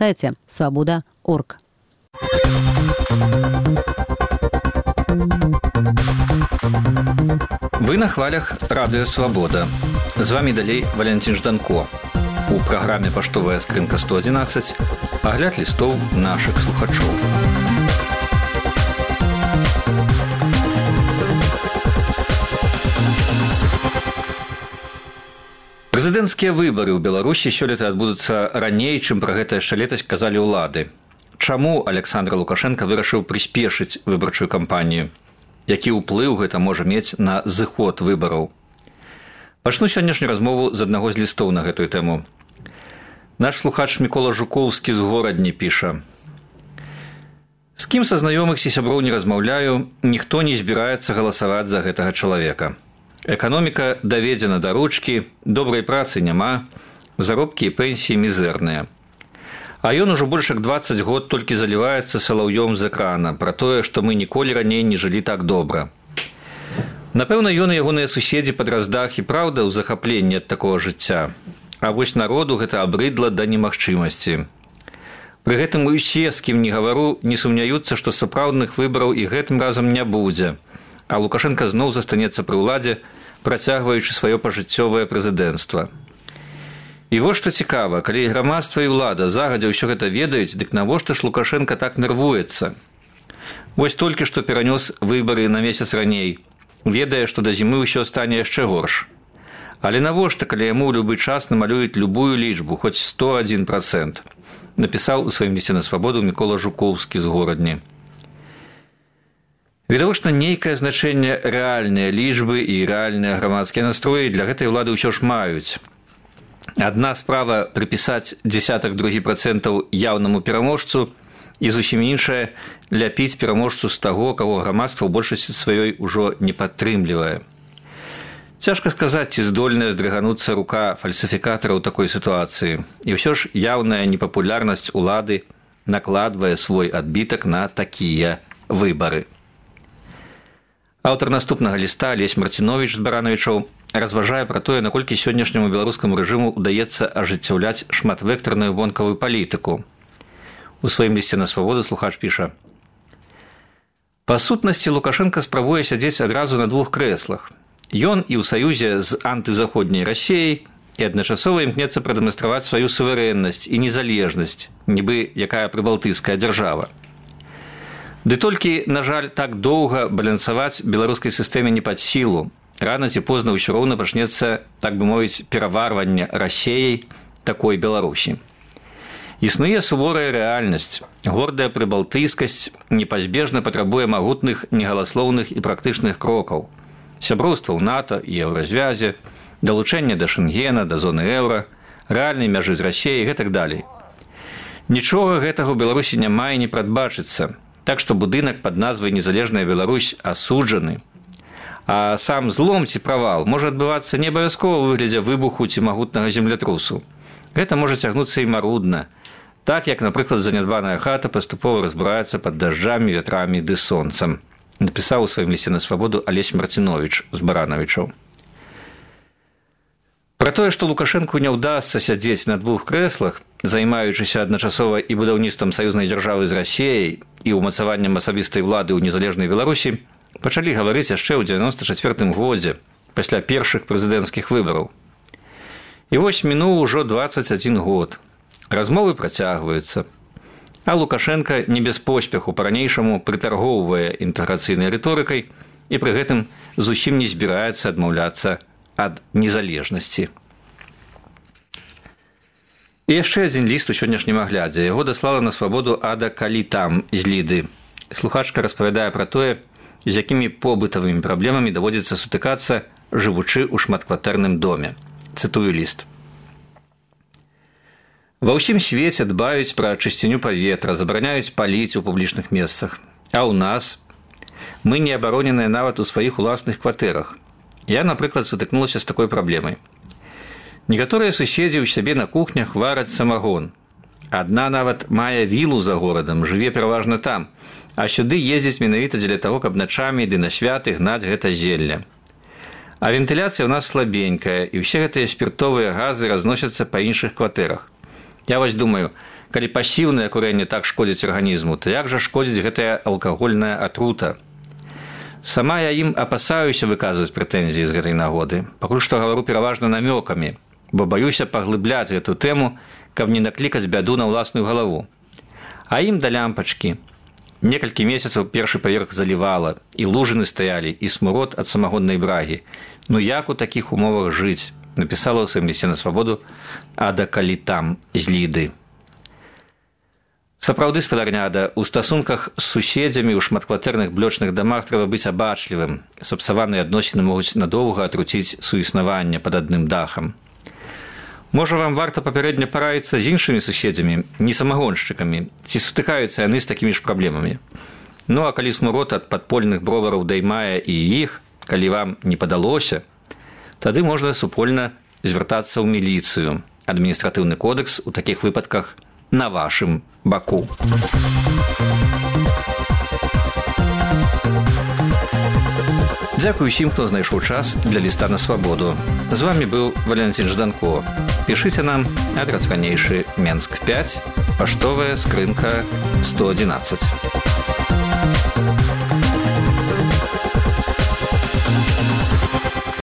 сайте свобода.орг. Вы на хвалях радыё Свабода. З вами далей Валентин Жданко. У праграме «Паштовая скрынка 111» агляд лістоў нашых слухачоў. Прэзідэнцкія выбары ў Беларусі сёлета адбудуцца раней, чым пра гэта яшчэ летась казалі ўлады. Чаму Александр Лукашенко вырашыў прыспешыць выбарчую кампанію? Які ўплыў гэта можа мець на зыход выбараў? Пачну сённяшнюю размову з аднаго з лістоў на гэтую тэму. Наш слухач Мікола Жукоўскі з Горадні піша: «З кім са знаёмых ці сяброў не размаўляю, ніхто не збіраецца галасаваць за гэтага чалавека. Эканоміка даведзена да ручкі, добрай працы няма, заробкі і пенсіі мізэрныя. А ён ужо больш як 20 год толькі заліваецца салаўём з экрана пра тое, што мы ніколі раней не жылі так добра. Напэўна, ён і ягоныя суседзі пад раздах і праўда ў захапленні ад такога жыцця. А вось народу гэта абрыдла да немагчымасці. Пры гэтым усе, з кім не гавару, не сумняюцца, што сапраўдных выбараў і гэтым разам не будзе, а Лукашенко зноў застанецца пры ўладзе, працягваючы сваё пажыццёвае прэзідэнцтва. І вось што цікава, калі грамадства і ўлада загадзя ўсё гэта ведаюць, дык навошта ж Лукашенко так нервуецца? Вось толькі што перанёс выбары на месяц раней, ведае, што да зімы ўсё стане яшчэ горш. Але навошта, калі яму ў любы час намалююць любую лічбу, хоць 101%, напісаў у сваім лісце на Свабоду Мікола Жукоўскі з Горадні. Відавочна, нейкае значэнне рэальныя лічбы і рэальныя грамадскія настроі для гэтай улады ўсё ж маюць. Адна справа прыпісаць 0,2% яўнаму пераможцу і зусім іншая ляпіць пераможцу з таго, каго грамадства ў большасці сваёй ужо не падтрымлівае. Цяжка сказаць, ці здольная здрыгануцца рука фальсіфікатара ў такой сітуацыі. І ўсё ж яўная непапулярнасць улады накладвае свой адбітак на такія выбары. Аўтар наступнага ліста Алесь Марціновіч з Баранавічаў разважае пра тое, наколькі сённяшняму беларускаму рэжыму ўдаецца ажыццяўляць шматвектарную вонкавую палітыку. У сваім лісце на Свабоду слухач піша: «Па сутнасці Лукашенко спрабуе сядзець адразу на двух крэслах. Ён і ў саюзе з антызаходняй Расіяй і адначасова імкнецца прадэманстраваць сваю суверэннасць і незалежнасць, нібы якая прыбалтыйская дзяржава. Ды толькі, на жаль, так доўга балансаваць беларускай сістэме не пад сілу. Рана ці позна ўсё роўна пачнецца, так бы мовіць, пераварванне Расіяй такой Беларусі. Існуе суворая рэальнасць. Гордая прыбалтыйскасць непазбежна патрабуе магутных, негаласлоўных і практычных крокаў. Сяброўства ў НАТО і еўразвязе, далучэнне да Шэнгена, да зоны еўра, рэальнай мяжы з Расіяй і гэтак далей. Нічога гэтага ў Беларусі няма і не прадбачыцца, так што будынак пад назвай «Незалежная Беларусь» асуджаны. А сам злом ці правал можа адбывацца не абавязкова ў выглядзе выбуху ці магутнага землятрусу. Гэта можа цягнуцца і марудна, так як, напрыклад, занядбаная хата паступова разбураецца пад дажджамі, вятрамі ды сонцам», напісаў у сваім лісце на Свабоду Алесь Марціновіч з Баранавічаў. Пра тое, што Лукашэнку не ўдасца сядзець на двух крэслах, займаючыся адначасова і будаўніцтвам саюзнай дзяржавы з Расіяй і ўмацаваннем асабістай улады ў незалежнай Беларусі, пачалі гаварыць яшчэ ў 94 годзе, пасля першых прэзідэнцкіх выбараў. І вось мінуў ужо 21 год. Размовы працягваюцца. А Лукашенко не без поспеху па-ранейшаму прытаргоўвае інтэграцыйнай рыторыкай і пры гэтым зусім не збіраецца адмаўляцца ад незалежнасці. І яшчэ адзін ліст у сённяшнім аглядзе. Яго даслала на Свабоду Ада Калітам з Ліды. Слухачка распавядае пра тое, з якімі побытавымі праблемамі даводзіцца сутыкацца, жывучы ў шматкватэрным доме. Цытую ліст. «Ва ўсім свеце дбаюць пра чысціню паветра, забараняюць паліць у публічных месцах. А ў нас мы не абароненыя нават у сваіх уласных кватэрах. Я, напрыклад, сутыкнулася з такой праблемай. Некаторыя суседзі ў сябе на кухнях вараць самагон. Адна нават мае вілу за горадам, жыве пераважна там, а сюды ездзіць менавіта дзеля таго, каб начамі ды на святы гнаць гэта зелля. А вентыляцыя ў нас слабенькая, і ўсе гэтыя спіртовыя газы разносяцца па іншых кватэрах. Я вось думаю, Калі пасіўнае курэнне так шкодзіць арганізму, то як жа шкодзіць гэтая алкагольная атрута? Сама я ім апасаюся выказваць прэтэнзіі з гэтай нагоды. Пакуль што гавару пераважна намёкамі, бо баюся паглыбляць гэту тэму, каб не наклікаць бяду на ўласную галаву. А ім да лямпачкі. Некалькі месяцаў першы паверх залівала, і лужыны стаялі, і смурод ад самагоннай брагі. Ну як у такіх умовах жыць? Напісала ў сваім лісце на свабоду Ада Калітам з Ліды. Сапраўды, спадарня Ада, у стасунках з суседзямі ў шматкватэрных блочных дамах трэба быць абачлівым. Сапсаваныя адносіны могуць надоўга атруціць суіснаванне пад адным дахам. Можа, вам варта папярэдне параіцца з іншымі суседзямі, не самагоншчыкамі, ці сутыкаюцца яны з такімі ж праблемамі. Ну, а калі смурод ад падпольных бровараў даймае і іх, калі вам не падалося, тады можна супольна звяртацца ў міліцыю. Адміністратыўны кодэкс у такіх выпадках на вашым баку. Дзякуй усім, хто знайшоў час для ліста на свабоду. З вамі быў Валентин Жданко. Пішыце нам адрас ранейшы Менск 5, паштовая скрынка 111.